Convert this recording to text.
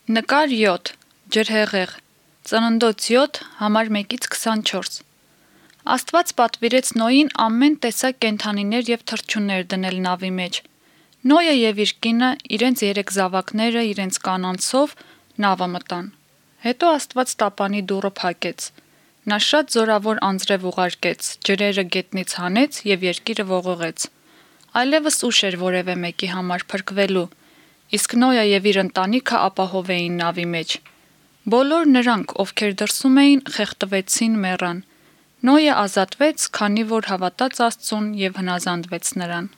Նկար 7. Ջրհեղեղ. Ծննդոց 7, համար 1-ից 24 Աստված պատվիրեց Նոյին ամեն տեսակ կենդանիներ և թռչուններ դնել նավի մեջ։ Նոյը և իր կինը, իրենց 3 զավակները, իրենց կանանցով նավը մտան։ Հետո Աստված տապանի դուռը փակեց։ Նա շատ զորավոր անձրև ուղարկեց, ջրերը գետնից հանեց և երկիրը ողողեց։ Այլևս ուշ էր որևէ մեկի համար փրկվելու, իսկ Նոյը և իր ընտանիքը ապահով էին նավի մեջ։ Բոլոր նրանք, ովքեր դրսում էին, խեղդվեցին, մեռան։ Նոյը ազատվեց, քանի որ հավատաց Աստծուն և հնազանդվեց նրան։